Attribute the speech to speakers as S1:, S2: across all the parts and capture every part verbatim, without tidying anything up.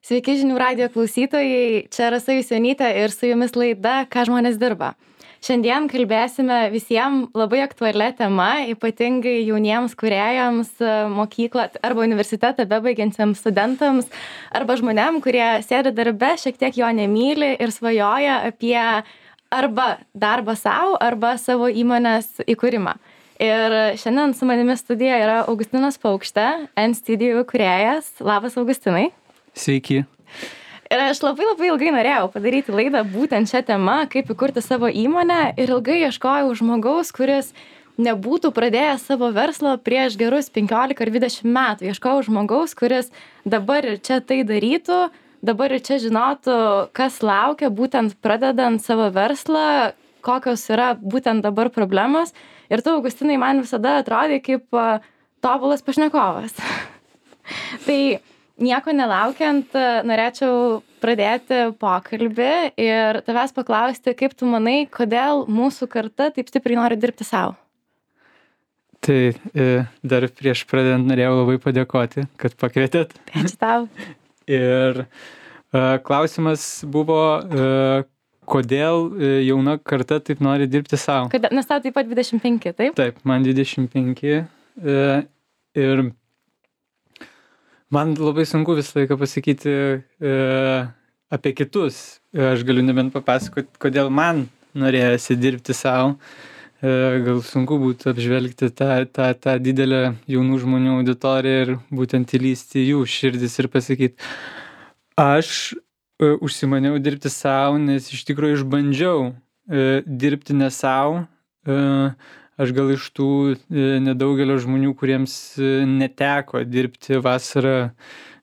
S1: Sveiki žinių radijo klausytojai, čia Rasa Jusionytė ir su jumis laida Ką žmonės dirba. Šiandien kalbėsime visiems labai aktualią temą, ypatingai jauniems kūrėjams, mokyklą arba universitetą bebaigiantiems studentams arba žmonėm, kurie sėdi darbe, šiek tiek jo nemyli ir svajoja apie arba darbą savo, arba savo įmonės įkūrimą. Ir šiandien su manimi studijoje yra Augustinas Paukštė, N-Studio kūrėjas. Labas, Augustinai.
S2: Sveiki.
S1: Ir aš labai labai ilgai norėjau padaryti laidą būtent šią temą, kaip įkurti savo įmonę, ir ilgai ieškojau žmogaus, kuris nebūtų pradėjęs savo verslo prieš gerus penkiolika ar dvidešimt metų. Ieškojau žmogaus, kuris dabar ir čia tai darytų, dabar ir čia žinotų, kas laukia, būtent pradedant savo verslą, kokios yra būtent dabar problemos. Ir tu, Augustinai, man visada atrodė kaip tobulas pašnekovas. Tai nieko nelaukiant, norėčiau pradėti pokalbį ir tavęs paklausti, kaip tu manai, kodėl mūsų karta taip stipriai nori dirbti savo?
S2: Tai dar prieš pradedant norėjau labai padėkoti, kad pakvietėt.
S1: Ačiū tau.
S2: Ir klausimas buvo, kodėl jauna karta taip nori dirbti savo?
S1: Nes tau taip pat dvidešimt penki, taip?
S2: Taip, man dvidešimt penki. Ir man labai sunku visą laiką pasakyti e, apie kitus. Aš galiu nebent papasakoti, kodėl man norėjosi dirbti savo. E, gal sunku būtų apžvelgti tą, tą, tą didelę jaunų žmonių auditoriją ir būtent įlysti jų širdis ir pasakyti. Aš e, užsimaniau dirbti savo, nes iš tikrųjų išbandžiau e, dirbti ne savo. E, Aš gal iš tų nedaugelio žmonių, kuriems neteko dirbti vasarą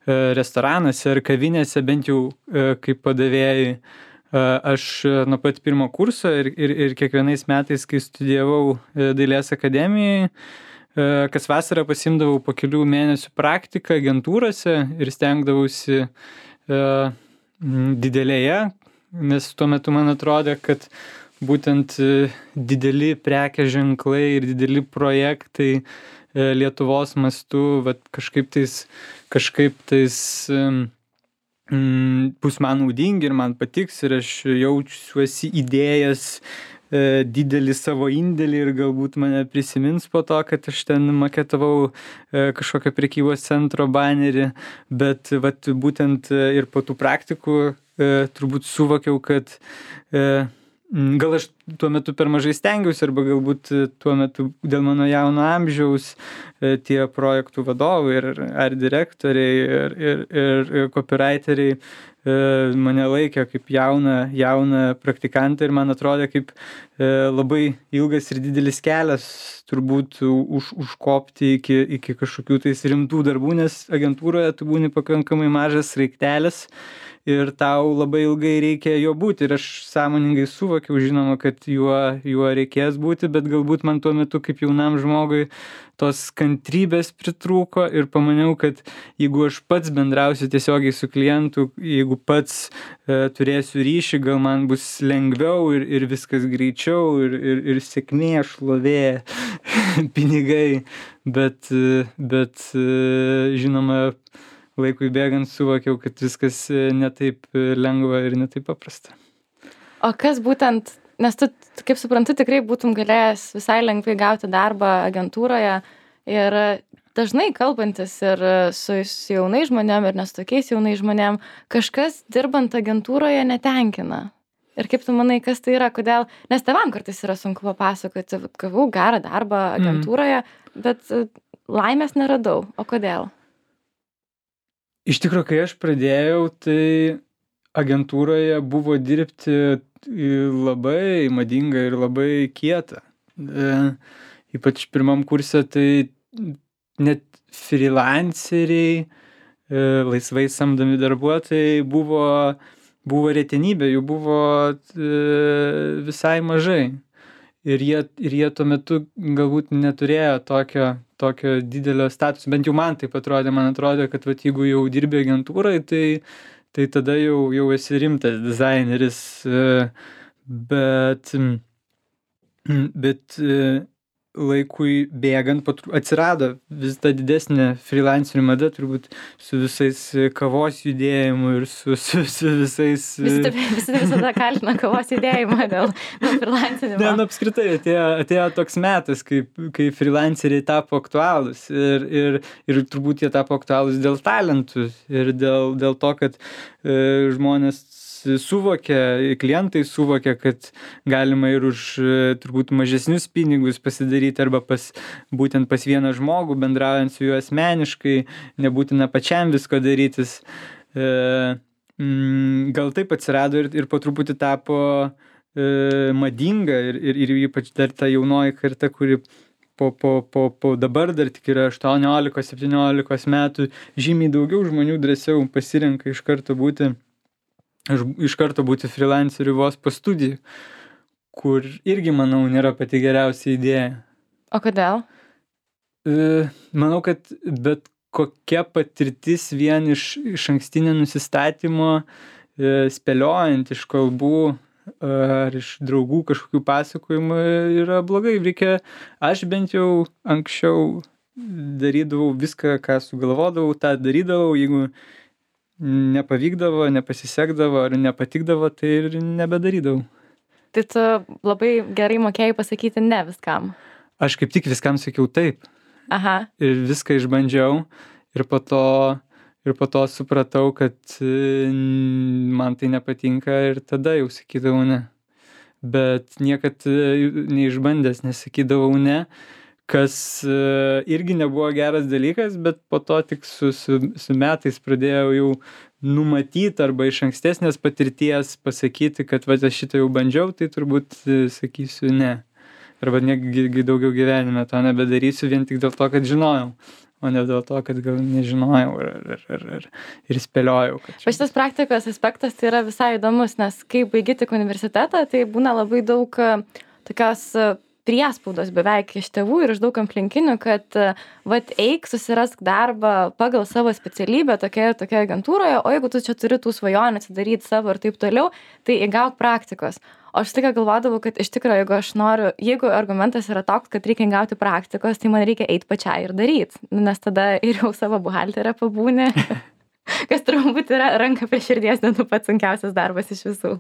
S2: restoranuose ar kavinėse, bent jau kaip padavėjai. Aš nuo pat pirmo kurso ir, ir, ir kiekvienais metais, kai studijavau Dailės akademijai, kas vasarą pasimdavau po kelių mėnesių praktiką agentūrose ir stengdavausi didelėje, nes tuo metu man atrodė, kad būtent dideli prekės ženklai ir dideli projektai Lietuvos mastu, vat kažkaip tais, kažkaip tais mm, bus man naudingi ir man patiks ir aš jaučiuosi įdėjęs e, didelį savo indėlį ir galbūt mane prisimins po to, kad aš ten maketavau e, kažkokią prekybos centro banerį, bet vat būtent ir po tų praktikų e, turbūt suvokiau, kad e, gal aš tuo metu per mažai stengiausi arba galbūt tuo metu dėl mano jauno amžiaus tie projektų vadovai ir art direktoriai ir, ir, ir copywriteriai mane laikė kaip jauną, jauną praktikantą ir man atrodė kaip labai ilgas ir didelis kelias turbūt už, užkopti iki, iki kažkokių tais rimtų darbų, nes agentūroje tu būni pakankamai mažas sraigtelis ir tau labai ilgai reikia jo būti. Ir aš sąmoningai suvokiau, žinoma, kad juo, juo reikės būti, bet galbūt man tuo metu kaip jaunam žmogui tos kantrybės pritrūko ir pamaniau, kad jeigu aš pats bendrausiu tiesiogiai su klientu, jeigu pats e, turėsiu ryšį, gal man bus lengviau ir, ir viskas greičiau ir, ir, ir sėkmė, šlovė, pinigai, bet, bet e, žinoma, laikui bėgant suvokiau, kad viskas netaip lengva ir netaip paprasta.
S1: O kas būtent, nes tu, kaip suprantu, tikrai būtum galėjęs visai lengvai gauti darbą agentūroje ir dažnai kalbantis ir su jaunais žmonėm ir ne su tokiais jaunais žmonėm, kažkas dirbant agentūroje netenkina. Ir kaip tu manai, kas tai yra, kodėl, nes tėvam kartais yra sunku papasakoti, gavau gerą darbą agentūroje, mm. bet laimės neradau. O kodėl?
S2: Iš tikrųjų, kai aš pradėjau, tai agentūroje buvo dirbti labai madinga ir labai kieta. E, ypač pirmam kurse, tai net freelanceriai, e, laisvai samdomi darbuotojai buvo, buvo retenybė, jų buvo e, visai mažai. Ir jie, ir jie tuo metu galbūt neturėjo tokio, tokio didelio statuso, bent jau man taip atrodė, man atrodė, kad vat, jeigu jau dirbi agentūrai, tai, tai tada jau, jau esi rimtas dizaineris, bet, bet laikui bėgant po tru atsirado vis ta didesnė frilancerių mada, turbūt su visais kavos judėjimu ir su su su visais
S1: Visi taip visi visada kaltina kavos judėjimą dėl dėl frilancinimo.
S2: Ne, nu apskritai atėjo atėjo toks metas, kai kai frilanceriai tapo aktualūs ir ir ir turbūt jie tapo aktualūs dėl talentų ir dėl dėl to, kad e, žmonės suvokia, klientai suvokia, kad galima ir už turbūt mažesnius pinigus pasidaryti arba pas, būtent pas vieną žmogų, bendraujant su juo asmeniškai, nebūtina pačiam visko darytis. E, mm, gal taip atsirado ir, ir po truputį tapo e, madinga ir, ir, ir ypač dar ta jaunoji karta, kuri po, po, po, po dabar dar tik yra aštuoniolikos septyniolikos metų, žymiai daugiau žmonių drąsiau pasirenka iš karto būti iš karto būti freelanceriu vos po studijų, kur irgi, manau, nėra pati geriausia idėja.
S1: O kodėl?
S2: E, manau, kad bet kokia patirtis vien iš, iš ankstinio nusistatymo, e, spėliojant iš kalbų ar iš draugų kažkokių pasakojimų yra blogai. Reikia, aš bent jau anksčiau darydavau viską, ką sugalvodavau, tą darydavau, jeigu nepavykdavo, nepasisekdavo ar nepatikdavo, tai ir nebedarydavau.
S1: Tai tu labai gerai mokėjai pasakyti ne viskam.
S2: Aš kaip tik viskam sakiau taip.
S1: Aha.
S2: Ir viską išbandžiau ir po to, ir po to supratau, kad man tai nepatinka ir tada jau sakydavau ne. Bet niekad neišbandęs nesakydavau ne, kas irgi nebuvo geras dalykas, bet po to tik su, su, su metais pradėjau jau numatyti arba iš ankstesnės patirties pasakyti, kad va, aš šitą jau bandžiau, tai turbūt sakysiu ne. Arba netgi daugiau gyvenime to nebedarysiu vien tik dėl to, kad žinojau, o ne dėl to, kad gal nežinojau ir, ir, ir, ir spėliojau. Kad čia...
S1: Šitas praktikos aspektas tai yra visai įdomus, nes kai baigi tik universitetą, tai būna labai daug tokios priespaudos beveik iš tėvų ir iš daug aplinkinių, kad vat eik, susirask darbą pagal savo specialybę tokioje tokioje agentūroje, o jeigu tu čia turi tų svajonių atsidaryti savo ir taip toliau, tai įgauk praktikos. O aš tik galvodavau, kad iš tikrųjų, jeigu aš noriu, jeigu argumentas yra toks, kad reikia gauti praktikos, tai man reikia eiti pačiai ir daryti, nes tada ir jau savo buhalterę pabūni, kas turbūt yra ranka prie širdies, net pats sunkiausias darbas iš visų.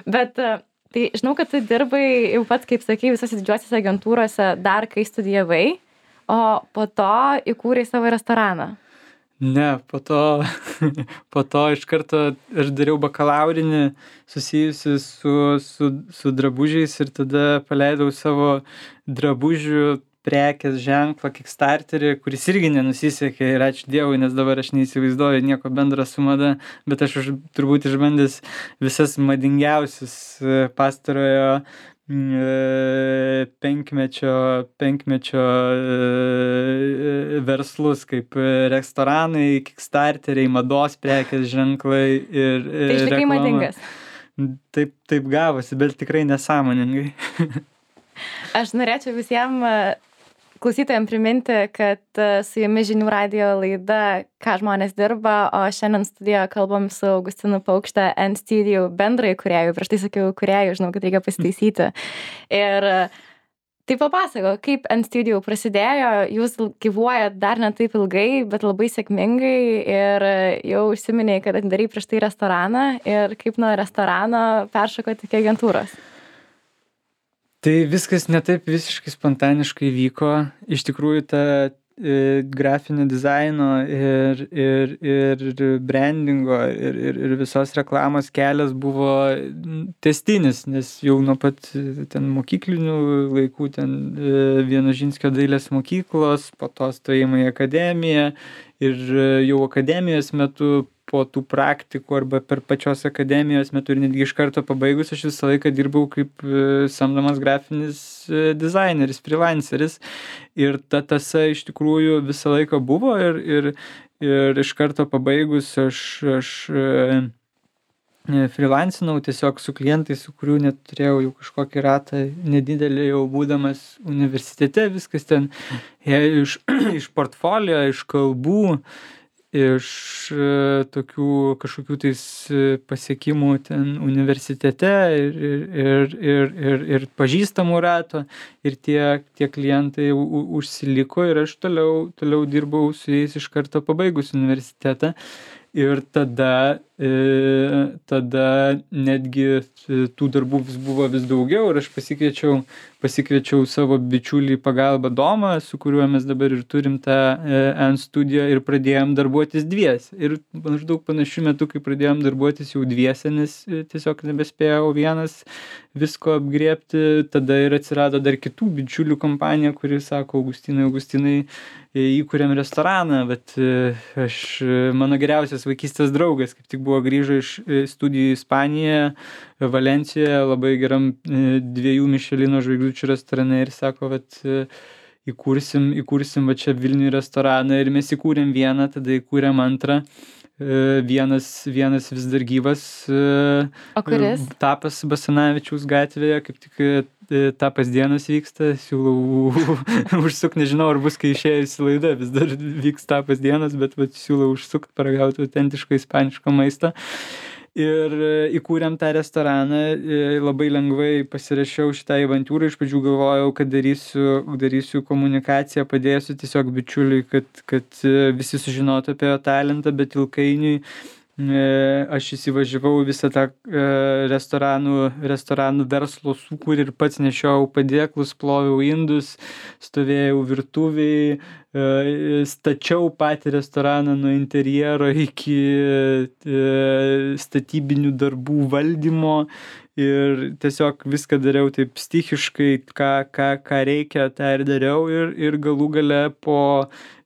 S1: Bet tai žinau, kad tu dirbai jau pats, kaip sakai, visose didžiuosiuose agentūrose dar kai studijavai, o po to įkūrei savo restoraną.
S2: Ne, po to, po to iš karto aš dariau bakalaurinį susijusi su, su, su drabužiais ir tada paleidau savo drabužių prekės ženklą Kickstarterį, kuris irgi nenusisekė ir ačiū Dievui, nes dabar aš neįsivaizduoju nieko bendro su mada, bet aš už, turbūt išbandęs visas madingiausius pastarojo penkmečio, penkmečio verslus, kaip restoranai, Kickstarteriai, mados prekės ženklai ir
S1: tai išlikai madingas.
S2: Taip, taip gavosi, bet tikrai nesąmoningai.
S1: Aš norėčiau visiems klausytojams priminti, kad su jumis Žinių radijo laida Ką žmonės dirba, o šiandien studijoje kalbam su Augustinu Paukšte, N-Studio bendrai kūrėjų. Prieš tai sakiau kūrėjų, žinau, kad reikia pasitaisyti. Ir tai papasako, kaip N-Studio prasidėjo, jūs gyvuojat dar ne taip ilgai, bet labai sėkmingai ir jau užsiminėjai, kad atidarei prieš tai restoraną ir kaip nuo restorano peršokote iki agentūros.
S2: Tai viskas ne taip visiškai spontaniškai vyko. Iš tikrųjų, ta e, grafinio dizaino ir, ir, ir brandingo ir, ir, ir visos reklamos kelias buvo tęstinis, nes jau nuo pat ten mokyklinių laikų, ten e, Vienožinskio dailės mokyklos, po to stojimo į akademiją ir jau akademijos metu po tų praktikų arba per pačios akademijos metu ir netgi iš karto pabaigus, aš visą laiką dirbau kaip samdomas grafinis dizaineris, freelanceris. Ir ta tąsa iš tikrųjų visą laiką buvo ir, ir, ir iš karto pabaigus aš, aš freelancinau tiesiog su klientais, su kurių net turėjau jau kažkokį ratą nedidelį jau būdamas universitete, viskas ten iš, iš portfolio, iš kalbų. iš tokių kažkokių tais pasiekimų ten universitete ir, ir, ir, ir, ir pažįstamų rato ir tie, tie klientai u, užsiliko ir aš toliau, toliau dirbau su jais iš karto pabaigus universitetą. Ir tada, e, tada netgi tų darbų vis buvo vis daugiau ir aš pasikviečiau, pasikviečiau savo bičiulį į pagalbą Domą, su kuriuo mes dabar ir turim tą e, N-studiją ir pradėjom darbuotis dviese. Ir maždaug panašiu metu, kai pradėjom darbuotis jau dviese, nes tiesiog nebespėjau vienas visko apgriebti, tada ir atsirado dar kitų bičiulių kompanija, kuri sako, Augustinai, Augustinai, įkūrėm restoraną, bet aš, mano geriausias vaikystės draugas, kaip tik buvo grįžo iš studijų Ispanijoje, Valencijoje, labai geram dviejų Mišelino žvaigždučių restorane ir sako, vat įkursim, įkursim va čia Vilniuje restoraną ir mes įkūrėm vieną, tada įkūrėm antrą. Vienas, vienas vis dar gyvas.
S1: O kuris?
S2: Tapas Basanavičiaus gatvėje, kaip tik tapas dienos vyksta, siūlau užsuk, nežinau, ar bus, kai išėjusi laida, vis dar vyks tapas dienos, bet vat, siūlau užsukt, paragauti autentiško ispaniško maisto. Ir įkūrėm tą restoraną, labai lengvai pasirašiau šitą avantūrą, iš pradžių galvojau, kad darysiu, darysiu komunikaciją, padėsiu tiesiog bičiuliui, kad, kad visi sužinotų apie jo talentą, bet ilgainiui aš įsivažiavau visą tą restoranų, restoranų verslo sūkurį ir pats nešiojau padėklus, ploviau indus, stovėjau virtuviai, stačiau patį restoraną nuo interjero iki statybinių darbų valdymo ir tiesiog viską dariau taip stichiškai, ką, ką, ką reikia, tą ir dariau ir, ir galų gale po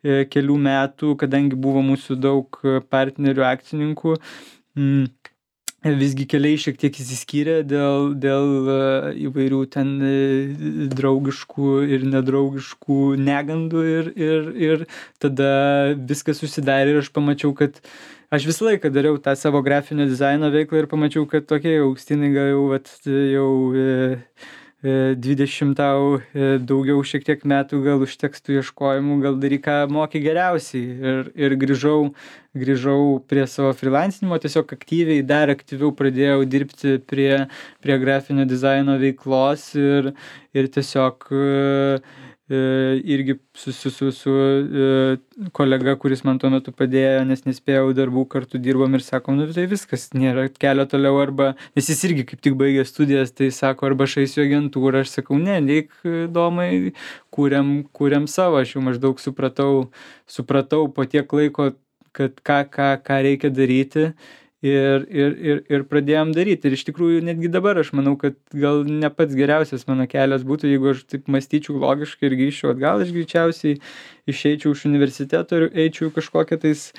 S2: kelių metų, kadangi buvo mūsų daug partnerių akcininkų, visgi keliai šiek tiek įsiskyrė dėl, dėl įvairių ten draugiškų ir nedraugiškų negandų ir, ir, ir tada viskas susidarė ir aš pamačiau, kad aš visą laiką dariau tą savo grafinio dizaino veiklą ir pamačiau, kad tokie Augustinai gal jau, vat, jau dvidešimt tau daugiau šiek tiek metų, gal užteks tų ieškojimų, gal daryk ką moki geriausiai. Ir, ir grįžau, grįžau prie savo freelancinimo, tiesiog aktyviai, dar aktyviau pradėjau dirbti prie, prie grafinio dizaino veiklos ir, ir tiesiog irgi su, su, su, su kolega, kuris man tuo metu padėjo, nes nespėjau darbų, kartu dirbom ir sakom, nu tai viskas, nėra kelio toliau arba, nes jis irgi kaip tik baigė studijas, tai sako, arba aš eisiu agentūrą, aš sakau, ne, neik Domai, kūrėm, kūrėm savo, aš jau maždaug supratau, supratau po tiek laiko, kad ką, ką, ką reikia daryti. Ir, ir, ir, ir pradėjom daryti. Ir iš tikrųjų netgi dabar aš manau, kad gal ne pats geriausias mano kelias būtų, jeigu aš taip mąstyčiau logiškai ir grįžčiau atgal, aš greičiausiai išeičiau iš universiteto ir eičiau kažkokią tais,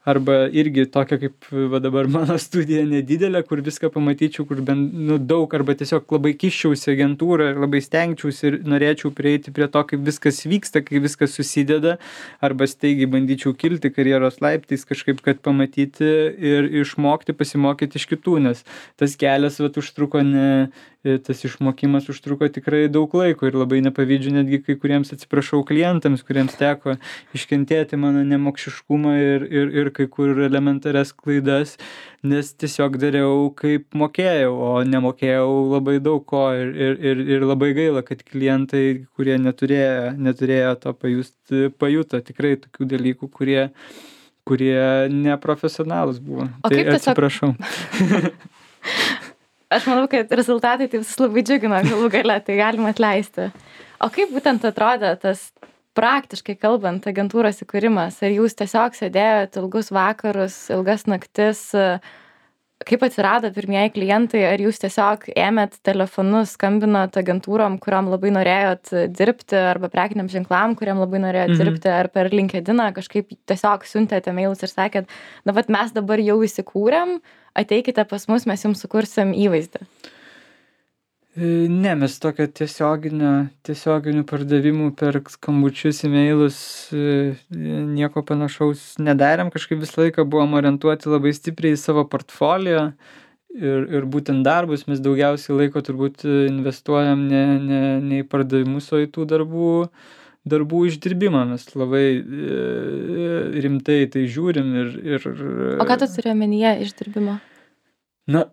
S2: arba irgi tokia kaip va dabar mano studija nedidelė, kur viską pamatyčiau, kur bent nu, daug, arba tiesiog labai kiščiausi agentūrą ir labai stengčiausi ir norėčiau prieiti prie to, kaip viskas vyksta, kaip viskas susideda, arba staigiai bandyčiau kilti karjeros laiptais kažkaip, kad pamatyti ir išmokti, pasimokyti iš kitų, nes tas kelias vat užtruko ne, tas išmokimas užtruko tikrai daug laiko ir labai nepavydžiu netgi kai kuriems, atsiprašau, klientams, kuriems teko iškentėti mano nemokšiškumą ir, ir, ir kai kur elementarias klaidas, nes tiesiog dariau kaip mokėjau, o nemokėjau labai daug ko ir, ir, ir, ir labai gaila, kad klientai, kurie neturėjo, neturėjo to pajusti, pajuto tikrai tokių dalykų, kurie, kurie neprofesionalūs buvo.
S1: O
S2: tai
S1: tiesiog...
S2: atsiprašau.
S1: Aš manau, kad rezultatai tai visus labai džiugino galų gale, tai galima atleisti. O kaip būtent atrodė tas praktiškai kalbant agentūros įkūrimas? Ar jūs tiesiog sėdėjot ilgus vakarus, ilgas naktis? Kaip atsirado pirmieji klientai? Ar jūs tiesiog ėmėt telefonus, skambinot agentūrom, kuriam labai norėjot dirbti, arba prekiniam ženklam, kuriam labai norėjot mhm. dirbti, ar per LinkedIną kažkaip tiesiog siuntėte mailus ir sakėt, na, vat mes dabar jau įsikūrėm, ateikite pas mus, mes jums sukursim įvaizdį?
S2: Ne, mes tokio tiesioginio, tiesioginių pardavimų per skambučius, e-mailus, nieko panašaus nedarėm, kažkaip visą laiką buvom orientuoti labai stipriai į savo portfolio ir, ir būtent darbus, mes daugiausiai laiko turbūt investuojam ne, ne, ne į pardavimus, o į tų darbų, darbų išdirbimą. Mes labai e, rimtai tai žiūrim ir, ir...
S1: O ką tu turi omenyje išdirbimo?
S2: Na,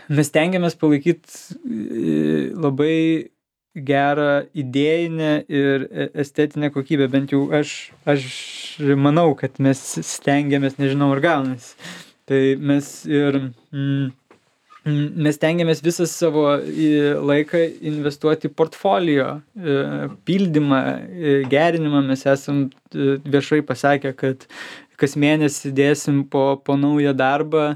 S2: mes tengiamės palaikyti labai gerą idėjinę ir estetinę kokybę. Bent jau aš, aš manau, kad mes stengiamės, nežinau, ar gaunasi. Tai mes ir... Mm, mes tengiamės visą savo laiką investuoti į portfolio pildymą, gerinimą. Mes esam viešai pasakę, kad kas mėnesį dėsim po, po naują darbą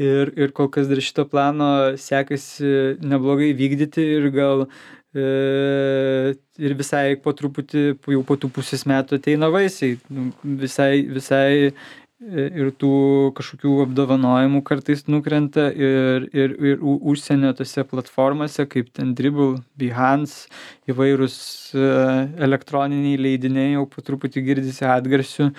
S2: ir, ir kol kas dar šito plano sekasi neblogai vykdyti ir gal e, ir visai po truputį, jau po tų pusės metų ateina vaisiai. Visai, visai ir tų kažkokių apdovanojimų kartais nukrenta ir, ir, ir užsienio tose platformose, kaip ten Dribbble, Behance, įvairūs elektroniniai leidiniai, jau po truputį girdisi atgarsių,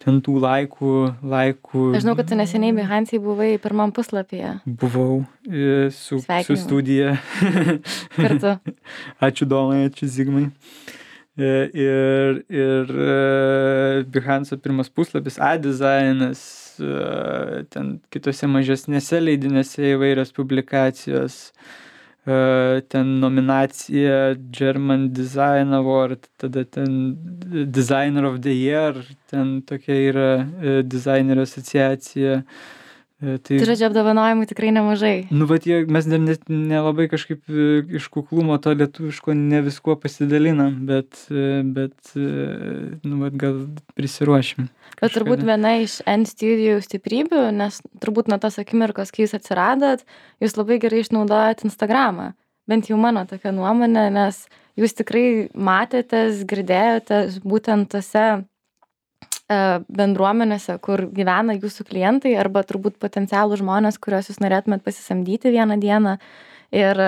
S2: ten tų laikų, laikų.
S1: Aš žinau, kad tu neseniai Behance buvai pirmam puslapyje.
S2: Buvau su, su studija.
S1: Kartu.
S2: Ačiū Domai, ačiū Zigmai. Ir, ir Behance pirmas puslapis, A-dizainas, ten kitose mažesnėse leidinėse įvairios publikacijos, ten nominacija German Design Award, tada ten Designer of the Year, ten tokia yra dizainerio asociacija.
S1: Tai, tai žodžiu, apdovanojimų tikrai nemažai.
S2: Nu, bet jie, mes dar net nelabai kažkaip iš kuklumo to lietuviško ne viskuo pasidalinam, bet, bet nu, bet gal prisiruošim.
S1: Kažkada. Bet turbūt viena iš N-Studio stiprybių, nes turbūt nuo tos akimirkos, kai jūs atsiradot, jūs labai gerai išnaudojat Instagramą. Bent jau mano tokia nuomonė, nes jūs tikrai matėtės, girdėjotės būtent tose bendruomenėse, kur gyvena jūsų klientai arba turbūt potencialų žmonės, kuriuos jūs norėtumėt pasisamdyti vieną dieną. Ir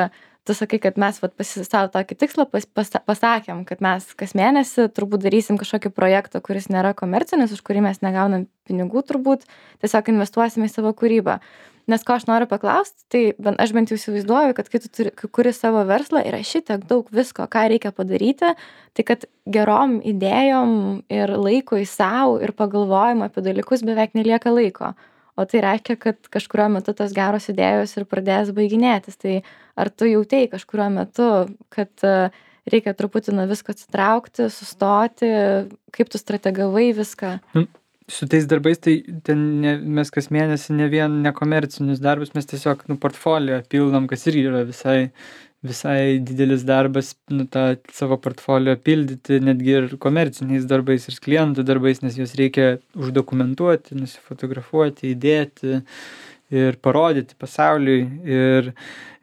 S1: tu sakai, kad mes vat, pasisavo tokį tikslą, pas, pas, pasakėm, kad mes kas mėnesį turbūt darysim kažkokį projektą, kuris nėra komercinis, už kurį mes negaunam pinigų turbūt, tiesiog investuosim į savo kūrybą. Nes ko aš noriu paklausti, tai aš bent jau įsivaizduoju, kad kai tu turi, kai kuri savo verslą, yra šitiek daug visko, ką reikia padaryti, tai kad gerom idėjom ir laikui savo ir pagalvojimo apie dalykus beveik nelieka laiko. O tai reiškia, kad kažkurio metu tos geros idėjos ir pradės baiginėtis. Tai ar tu jautei kažkurio metu, kad reikia truputį nuo visko atsitraukti, sustoti, kaip tu strategavai viską?
S2: Mm. Su tais darbais, tai ten ne, mes kas mėnesį ne vien nekomercinius darbus, mes tiesiog nu, portfolio pildom, kas irgi yra visai, visai didelis darbas, nu, tą savo portfolio pildyti, netgi ir komerciniais darbais, ir klientų darbais, nes juos reikia uždokumentuoti, nusifotografuoti, įdėti ir parodyti pasauliui. Ir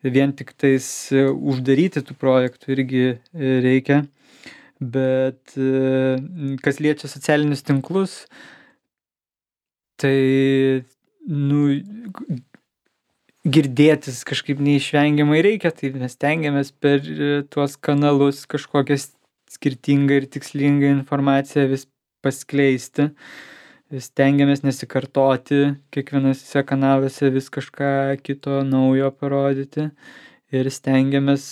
S2: vien tik tais uždaryti tų projektų irgi reikia. Bet kas liečia socialinius tinklus, tai, nu, girdėtis kažkaip neišvengiamai reikia, tai mes tengiamės per tuos kanalus kažkokią skirtingą ir tikslingą informaciją vis paskleisti. Vis tengiamės nesikartoti, kiekvienose kanaluose vis kažką kito naujo parodyti. Ir stengiamės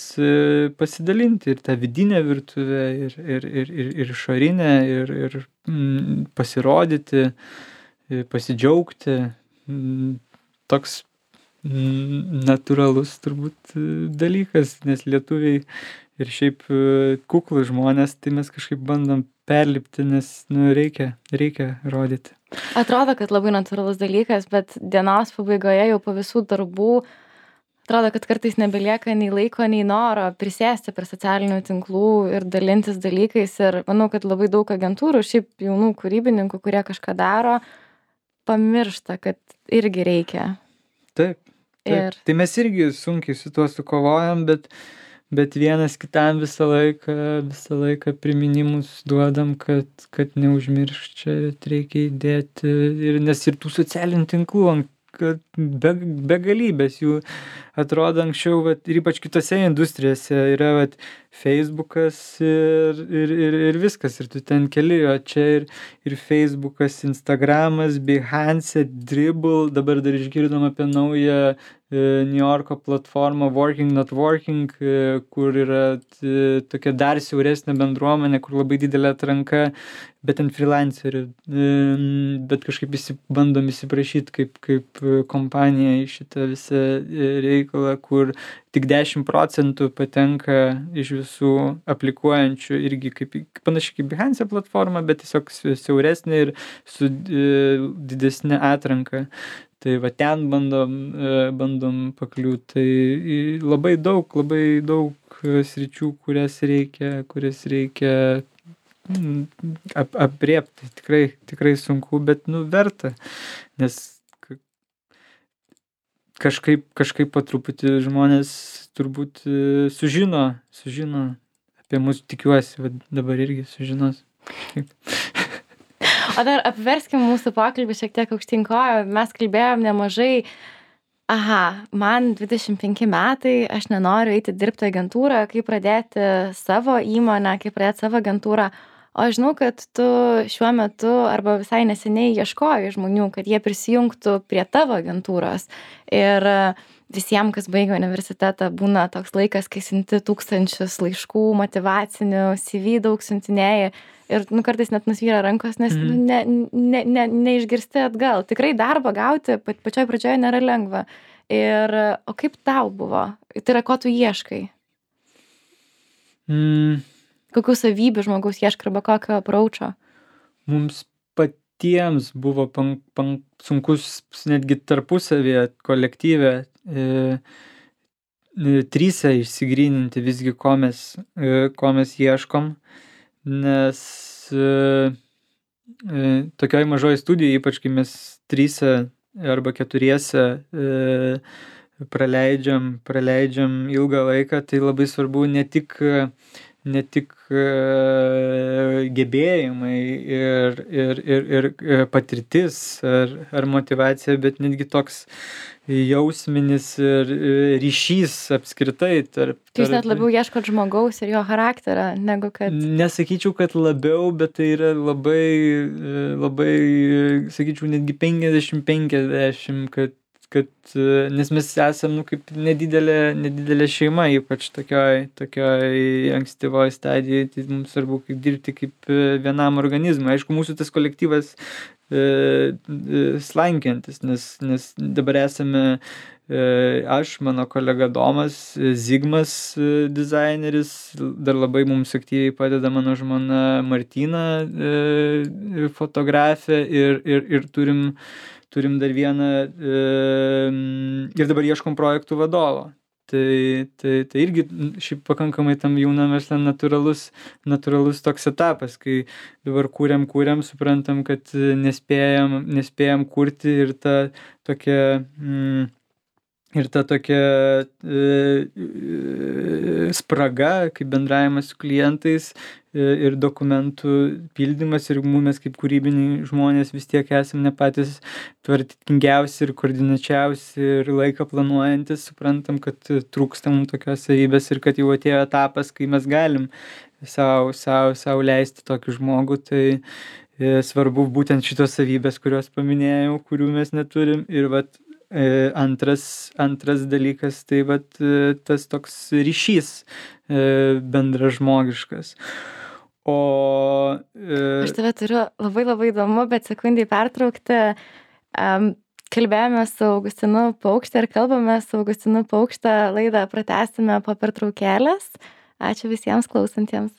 S2: pasidalinti ir tą vidinę virtuvę, ir, ir, ir, ir, ir išorinę, ir, ir mm, pasirodyti, pasidžiaugti. Toks natūralus turbūt dalykas, nes lietuviai ir šiaip kuklų žmonės, tai mes kažkaip bandom perlipti, nes nu, reikia, reikia rodyti.
S1: Atrodo, kad labai natūralus dalykas, bet dienos pabaigoje jau po visų darbų atrodo, kad kartais nebelieka nei laiko, nei noro prisėsti prie socialinių tinklų ir dalintis dalykais. Ir manau, kad labai daug agentūrų, šiaip jaunų kūrybininkų, kurie kažką daro, pamiršta, kad irgi reikia.
S2: Taip. taip. Ir... Tai mes irgi sunkiai su tuo sukovojam, bet, bet vienas kitam visą laiką, visą laiką priminimus duodam, kad, kad neužmiršk čia, reikia įdėti. Ir, nes ir tų socialinių tinklų kad be, begalybės jų atrodo anksčiau, vat, ir ypač kitose industrijose yra vat, Facebookas ir, ir, ir, ir viskas. Ir tu ten keli, o čia ir, ir Facebookas, Instagramas, Behance, Dribbble, dabar dar išgirdom apie naują New Yorko platformą Working Not Working, kur yra tokia dar siauresnė bendruomenė, kur labai didelė atranka, bet ant freelancerių, bet kažkaip visi bandom įsiprašyti kaip, kaip kompanija į šitą visą reikalą, kur tik dešimt procentų patenka iš visų aplikuojančių, irgi kaip, panašiai kaip Behance platforma, bet tiesiog siauresnė ir su didesnė atranka. Tai va ten bandom, bandom pakliūti. Tai labai daug, labai daug sričių, kurias reikia, kurias reikia ap, apriepti. Tikrai, tikrai sunku, bet nu verta. Nes kažkaip, kažkaip po truputį žmonės turbūt sužino, sužino apie mus, tikiuosi, va dabar irgi sužinos.
S1: O dar apverskim mūsų pokalbį šiek tiek aukštyn kojų. Mes kalbėjom nemažai, aha, man dvidešimt penki metai, aš nenoriu eiti dirbti agentūrą, kaip pradėti savo įmonę, kaip pradėti savo agentūrą. O aš žinau, kad tu šiuo metu arba visai neseniai ieškoji žmonių, kad jie prisijungtų prie tavo agentūros. Ir visiems, kas baigia universitetą, būna toks laikas, kai siunti tūkstančius laiškų, motyvacinių, C V daug siuntinėjai. Ir nu, kartais net nusvyra rankos, nes mm. ne, ne, ne, neišgirsti atgal. Tikrai darbą gauti pačioj pradžioje nėra lengva. Ir, o kaip tau buvo? Tai yra, ko tu ieškai?
S2: Mm.
S1: Kokių savybių žmogaus ieškai arba kokio approacho?
S2: Mums patiems buvo pan, pan, sunkus netgi tarpusavėje, kolektyve, e, e, tryse išsigryninti visgi, ko mes, e, ko mes ieškom. Nes e, e, tokioj mažoj studijoj, ypač kai mes tryse arba keturiese e, praleidžiam, praleidžiam ilgą laiką, tai labai svarbu ne tik, ne tik e, gebėjimai ir, ir, ir, ir patirtis ar, ar motyvacija, bet netgi toks jausminis ir ryšys apskritai tarp...
S1: Tai jūs net labiau ieškot žmogaus ir jo charakterio, negu kad...
S2: Nesakyčiau, kad labiau, bet tai yra labai, labai, sakyčiau, netgi penkiasdešimt penkiasdešimt, kad, kad, nes mes esam, nu, kaip nedidelė, nedidelė šeima, ypač tokioj, tokioj ankstyvoj stadijai, tai mums svarbu kaip dirbti kaip vienam organizmui. Aišku, mūsų tas kolektyvas slankiantis, nes, nes dabar esame aš, mano kolega Domas, Zigmas dizaineris, dar labai mums aktyviai padeda mano žmona Martina, fotografė ir, ir, ir turim, turim dar vieną ir dabar ieškom projektų vadovo. Tai, tai, tai irgi šiaip pakankamai tam jaunam versle natūralus, natūralus toks etapas, kai dabar kūriam, kūriam, suprantam, kad nespėjam, nespėjam kurti ir ta tokia, mm, ir ta tokia e, e, spraga, kaip bendravimas su klientais e, ir dokumentų pildymas ir mes kaip kūrybiniai žmonės vis tiek esame ne patys tvarkingiausi ir koordinačiausi ir laiką planuojantis, suprantam, kad trūksta mums tokios savybės ir kad jau atėjo etapas, kai mes galim savo, savo, savo leisti tokį žmogų, tai e, svarbu būtent šitos savybės, kurios paminėjau, kurių mes neturim ir vat E, antras, antras dalykas, tai vat e, tas toks ryšys e, bendražmogiškas. O... E...
S1: Aš tave turiu labai labai įdomu, bet sekundį pertraukti. Um, kalbėjome su Augustinu Paukšte ir kalbame su Augustinu Paukšte. Laidą pratęsime po pertraukėlės. Ačiū visiems klausantiems.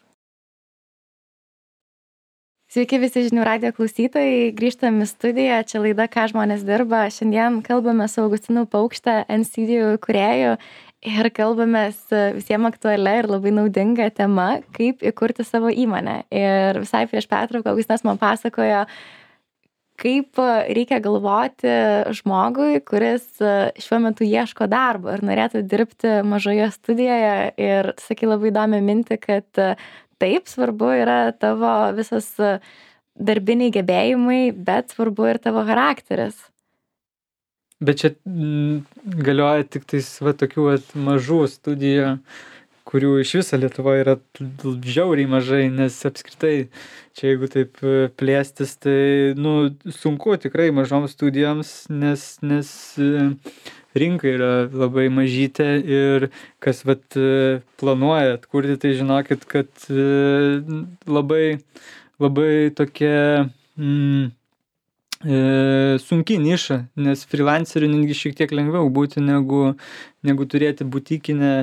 S1: Sveiki visi žinių radijo klausytojai, grįžtam į studiją, čia laida Ką žmonės dirba. Šiandien kalbame su Augustinu Paukšte, N-Studio kūrėju ir kalbamės visiems aktualią ir labai naudingą temą, kaip įkurti savo įmonę. Ir visai prieš pertrauką Augustinas man pasakojo, kaip reikia galvoti žmogui, kuris šiuo metu ieško darbo ir norėtų dirbti mažoje studijoje. Ir tu sakai labai įdomią mintį, kad taip, svarbu yra tavo visas darbiniai gebėjimai, bet svarbu ir tavo charakteris.
S2: Bet čia m, galioja tik tais va, tokių va, mažų studijų kurių iš viso Lietuvoje yra žiauriai mažai, nes apskritai čia jeigu taip plėstis, tai nu, sunku tikrai mažoms studijoms, nes, nes rinka yra labai mažytė ir kas vat planuoja atkurti, tai žinokit, kad labai, labai tokia mm, e, sunki niša, nes freelancerių netgi šiek tiek lengviau būti negu, negu turėti butikinę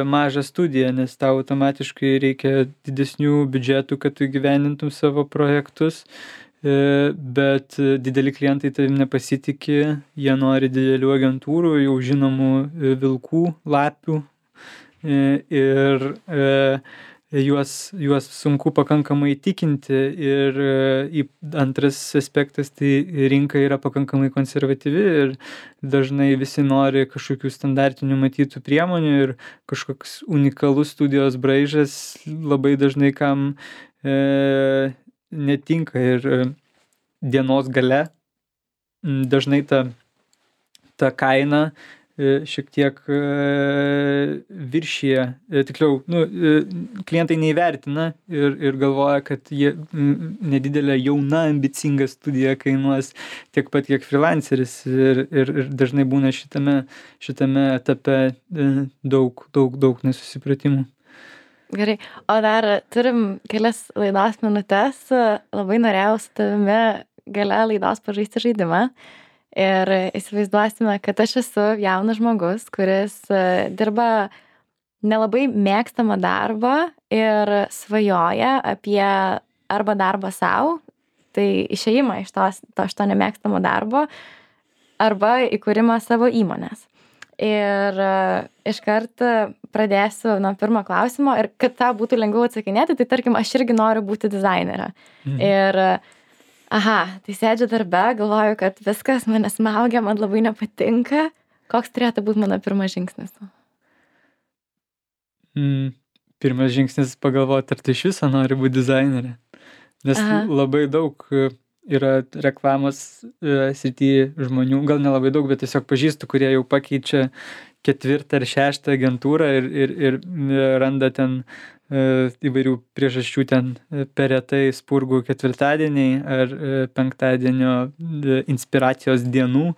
S2: mažą studiją, nes tau automatiškai reikia didesnių biudžetų, kad tu įgyvendintum savo projektus, bet dideli klientai tavim nepasitikė, jie nori didelių agentūrų, jau žinomų vilkų, lapių ir juos, juos sunku pakankamai įtikinti ir antras aspektas, tai rinka yra pakankamai konservatyvi ir dažnai visi nori kažkokių standartinių matytų priemonių ir kažkoks unikalus studijos braižas labai dažnai kam e, netinka ir dienos gale dažnai ta, ta kaina šiek tiek viršyje, tikliau, nu, klientai neįvertina ir, ir galvoja, kad jie nedidelė jauna ambicinga studija kainuos tiek pat, kiek freelanceris ir, ir, ir dažnai būna šitame, šitame etape daug, daug, daug nesusipratimų.
S1: Gerai, o dar turim kelias laidos minutės, labai norėjau su tavimi gale laidos pažaisti žaidimą. Ir įsivaizduosime, kad aš esu jaunas žmogus, kuris dirba nelabai mėgstamą darbą ir svajoja apie arba darbą savo, tai išėjimą iš, tos, to, iš to nemėgstamo darbo, arba įkūrimą savo įmonės. Ir iškart pradėsiu nuo pirmo klausimo ir kad tau būtų lengviau atsakinėti, tai tarkim, aš irgi noriu būti dizainerė. Mhm. Ir aha, tai sėdžiu darbe, galvoju, kad viskas mane smaugia, man labai nepatinka. Koks turėtų būti mano pirmas žingsnis?
S2: Mm, pirmas žingsnis pagalvoti, ar tu iš viso nori būti dizainerė. Nes aha. labai daug yra reklamos srityje žmonių, gal nelabai daug, bet tiesiog pažįstu, kurie jau pakeičia ketvirtą ar šeštą agentūrą ir, ir, ir randa ten įvairių priežasčių ten per retai spurgų ketvirtadieniai ar penktadienio inspiracijos dienų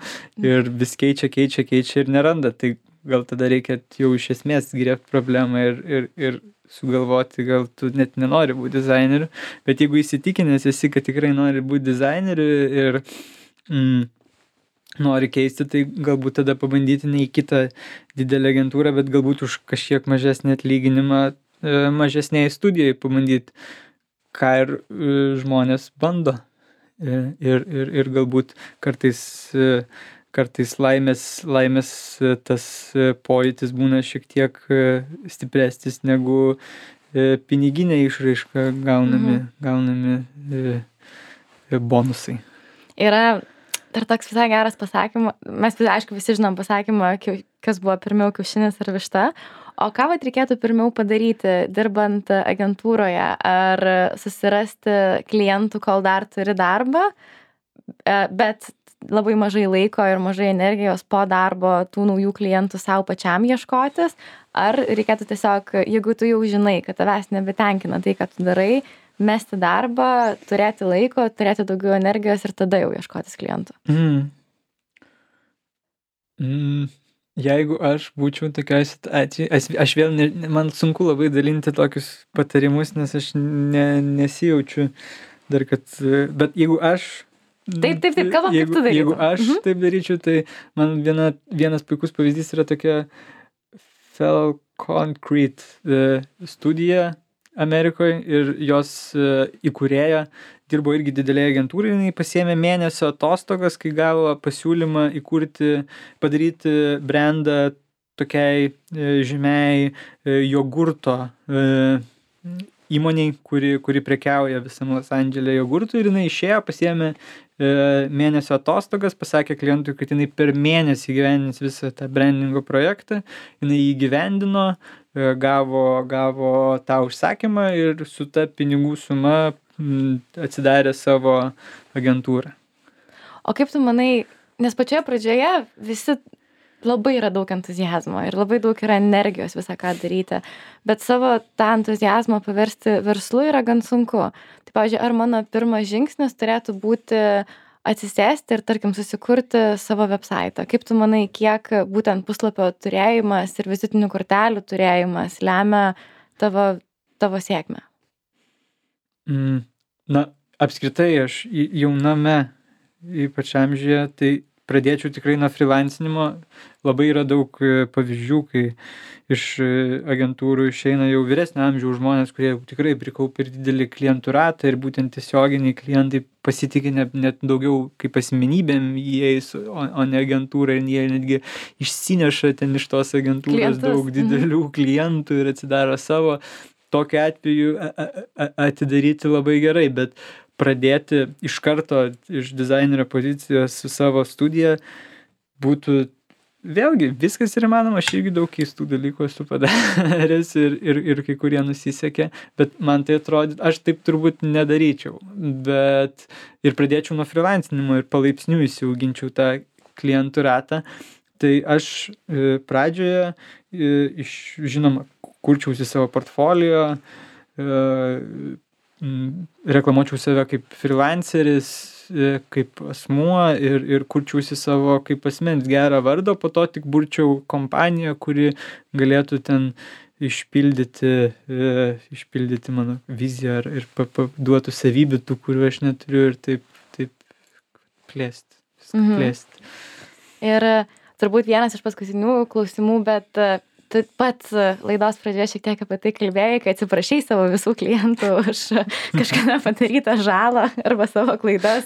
S2: ir vis keičia, keičia, keičia ir neranda. Tai gal tada reikia jau iš esmės griebti problemą ir, ir, ir sugalvoti, gal tu net nenori būti dizaineriu, bet jeigu įsitikinęs esi, kad tikrai nori būti dizaineriu ir mm, nori keisti, tai galbūt tada pabandyti ne į kitą didelę agentūrą, bet galbūt už kažkiek mažesnį atlyginimą mažesnėje studijoje pabandyti, ką ir žmonės bando. Ir, ir, ir galbūt kartais, kartais laimės, laimės tas pojūtis būna šiek tiek stipresnis negu piniginė išraiška gaunami, mhm. gaunami bonusai.
S1: Yra dar toks visai geras pasakymas, mes aišku visi žinom pasakymą, kas buvo pirmiau kiaušinis ar višta. O ką vat reikėtų pirmiau padaryti, dirbant agentūroje, ar susirasti klientų, kol dar turi darbą, bet labai mažai laiko ir mažai energijos po darbo tų naujų klientų savo pačiam ieškotis, ar reikėtų tiesiog, jeigu tu jau žinai, kad tavęs nebetenkina tai, ką tu darai, mesti darbą, turėti laiko, turėti daugiau energijos ir tada jau ieškotis klientų?
S2: Mm. Mm. Jeigu aš būčiau tokioj situacijoj, aš, aš vėl, ne, man sunku labai dalinti tokius patarimus, nes aš ne, nesijaučiu dar, kad, bet jeigu aš...
S1: Taip, taip, taip, kalbam,
S2: jeigu,
S1: kaip tu darytum.
S2: Jeigu aš mhm. taip daryčiau, tai man viena, vienas puikus pavyzdys yra tokia Fell Concrete studija Amerikoje ir jos įkūrėja dirbo irgi didelėje agentūroje, jinai pasiėmė mėnesio atostogas, kai gavo pasiūlymą įkurti, padaryti brandą tokiai žymiai jogurto įmoniai, kuri, kuri prekiauja visam Los Andžele jogurtų ir jinai išėjo, pasiėmė mėnesio atostogas, pasakė klientui, kad jinai per mėnesį įgyvendins visą tą brandingo projektą, jinai jį įgyvendino, gavo, gavo tą užsakymą ir su ta pinigų suma atsidarė savo agentūrą.
S1: O kaip tu manai, nes pačioje pradžioje visi labai yra daug entuzijazmo ir labai daug yra energijos visą ką daryti, bet savo tą entuzijazmą paversti verslu yra gan sunku. Tai, pavyzdžiui, ar mano pirmas žingsnis turėtų būti atsisėsti ir, tarkim, susikurti savo websaitą? Kaip tu manai, kiek būtent puslapio turėjimas ir vizitinių kortelių turėjimas lemia tavo, tavo sėkmę?
S2: Mm, na, apskritai aš jauname, ypač amžiuje, tai pradėčiau tikrai nuo freelancinimo. Labai yra daug pavyzdžių, kai iš agentūrų išeina jau vyresnio amžiaus žmonės, kurie tikrai prikaupia ir didelį klientų ratą ir būtent tiesioginiai klientai pasitikė net, net daugiau kaip asmenybėm jais, o, o ne agentūra, ir jie netgi išsineša ten iš tos agentūros Klientus. daug didelių mhm. klientų ir atsidaro savo. Tokiu atveju atidaryti labai gerai, bet pradėti iš karto iš dizainerio pozicijos su savo studija būtų, vėlgi, viskas yra įmanoma, aš irgi daug keistų dalykų esu padaręs ir, ir, ir kai kurie nusisekė, bet man tai atrodo, aš taip turbūt nedaryčiau, bet ir pradėčiau nuo freelancinimo ir palaipsniui įsiauginčiau tą klientų ratą. Tai aš pradžioje, iš, žinoma, kurčiausi savo portfolio, reklamuočiau save kaip freelanceris, kaip asmuo ir, ir kurčiausi savo kaip asmens gerą vardą, po to tik burčiau kompaniją, kuri galėtų ten išpildyti, išpildyti mano viziją ir duotų savybių tų, kurių aš neturiu ir taip, taip plėsti, viską mhm. plėsti.
S1: Ir turbūt vienas iš paskutinių klausimų, bet tu pats laidos pradžioje šiek tiek apie tai kalbėjai, kai atsiprašai savo visų klientų už kažkada padarytą žalą arba savo klaidas.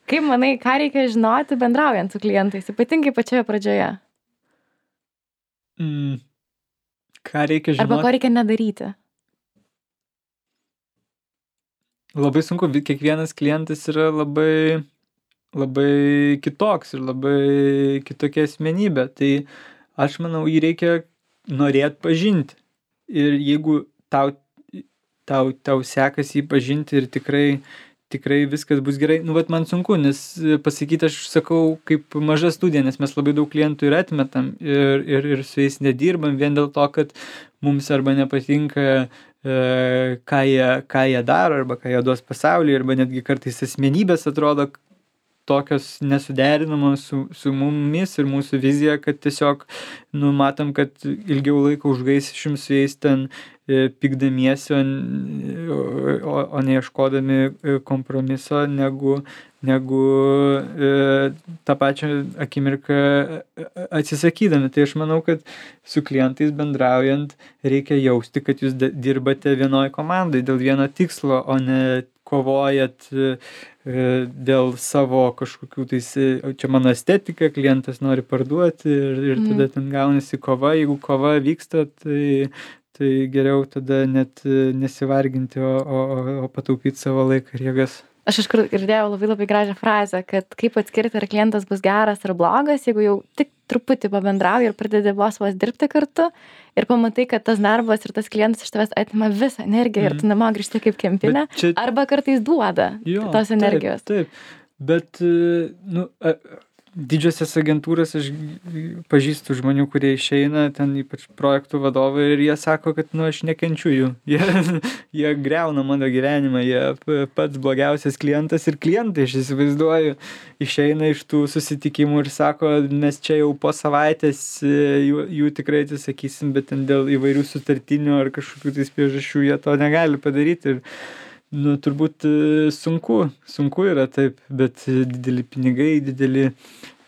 S1: Kaip manai, ką reikia žinoti bendraujant su klientais, ypatingai pačioje pradžioje?
S2: Mm, ką reikia žinoti?
S1: Arba ko reikia nedaryti?
S2: Labai sunku, kiekvienas klientas yra labai, labai kitoks ir labai kitokia asmenybė. Tai aš manau, jį reikia norėt pažinti. Ir jeigu tau, tau, tau sekasi jį pažinti ir tikrai, tikrai viskas bus gerai, nu, vat man sunku, nes pasakyti, aš sakau, kaip maža studija, nes mes labai daug klientų ir atmetam ir, ir, ir su jais nedirbam vien dėl to, kad mums arba nepatinka, e, ką, jie, ką jie daro, arba ką jie duos pasaulyje, arba netgi kartais asmenybės atrodo tokios nesuderinamos su, su mumis ir mūsų vizija, kad tiesiog, nu, matom, kad ilgiau laiko užgaišim su jais ten e, pykdamiesi, o, o, o neieškodami kompromiso, negu, negu e, tą pačią akimirką atsisakydami. Tai aš manau, kad su klientais bendraujant reikia jausti, kad jūs dirbate vienoj komandai dėl vieno tikslo, o ne kovojat dėl savo kažkokių tais, čia mano estetika, klientas nori parduoti ir, ir tada mm. ten gaunasi kova. Jeigu kova vyksta, tai, tai geriau tada net nesivarginti, o, o, o pataupyti savo laiką ir jėgas.
S1: Aš iškart girdėjau labai labai gražią frazę, kad kaip atskirti, ar klientas bus geras ar blogas, jeigu jau tik truputį pabendrauji ir pradedi vos vos dirbti kartu ir pamatai, kad tas darbas ir tas klientas iš tavęs atima visą energiją mm. ir tu namo grįžti kaip kempinė, čia... arba kartais duoda jo, tos energijos.
S2: Taip, taip. Bet, nu, didžiosios agentūros, aš pažįstu žmonių, kurie išeina, ten ypač projektų vadovai, ir jie sako, kad, nu, aš nekenčiu jų. Jie, jie greuna mano gyvenimą, jie pats blogiausias klientas ir klientai, aš įsivaizduoju, išeina iš tų susitikimų ir sako, mes čia jau po savaitės jų, jų tikrai atsisakysim, bet ten dėl įvairių sutartinių ar kažkokių tais priežasčių jie to negali padaryti. Ir nu, turbūt sunku, sunku yra taip, bet dideli pinigai, dideli,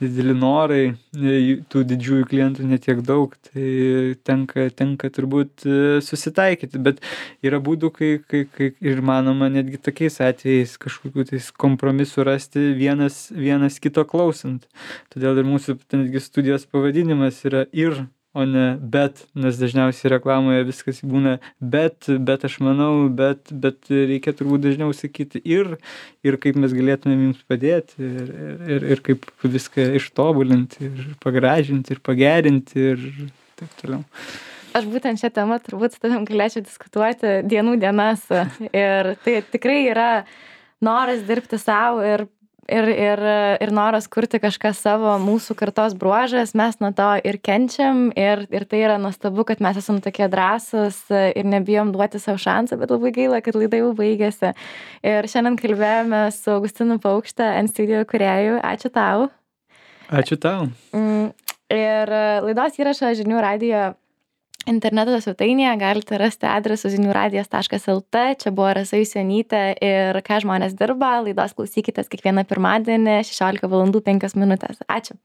S2: dideli norai, tų didžiųjų klientų netiek daug, tai tenka, tenka turbūt susitaikyti, bet yra būdų, kai, kai, kai ir manoma netgi tokiais atvejais kažkokių tais kompromisų rasti vienas, vienas kito klausant. Todėl ir mūsų netgi studijos pavadinimas yra ir, o ne bet, nes dažniausiai reklamoje viskas būna bet, bet aš manau, bet, bet reikia turbūt dažniau sakyti ir, ir kaip mes galėtumėm jums padėti, ir, ir, ir kaip viską ištobulinti, ir pagražinti, ir pagerinti, ir taip toliau.
S1: Aš būtent šią temą turbūt su tavim galėčiau diskutuoti dienų dienas, ir tai tikrai yra noras dirbti savo ir ir, ir, ir noras kurti kažką savo, mūsų kartos bruožas, mes nuo to ir kenčiam, ir, ir tai yra nuostabu, kad mes esam tokie drąsūs ir nebijom duoti savo šansą, bet labai gaila, kad laida jau baigėsi. Ir šiandien kalbėjome su Augustinu Paukšte, N-Studio kūrėju. Ačiū tau.
S2: Ačiū tau.
S1: Ir laidos įrašą žinių radijo interneto svetainėje galite rasti adresu zinių radijas taškas lt. Čia buvo Rasa Jusionytė ir ką žmonės dirba. Laidos klausykitės kiekvieną pirmadienį šešiolika valandų penkios minutės. Ačiū.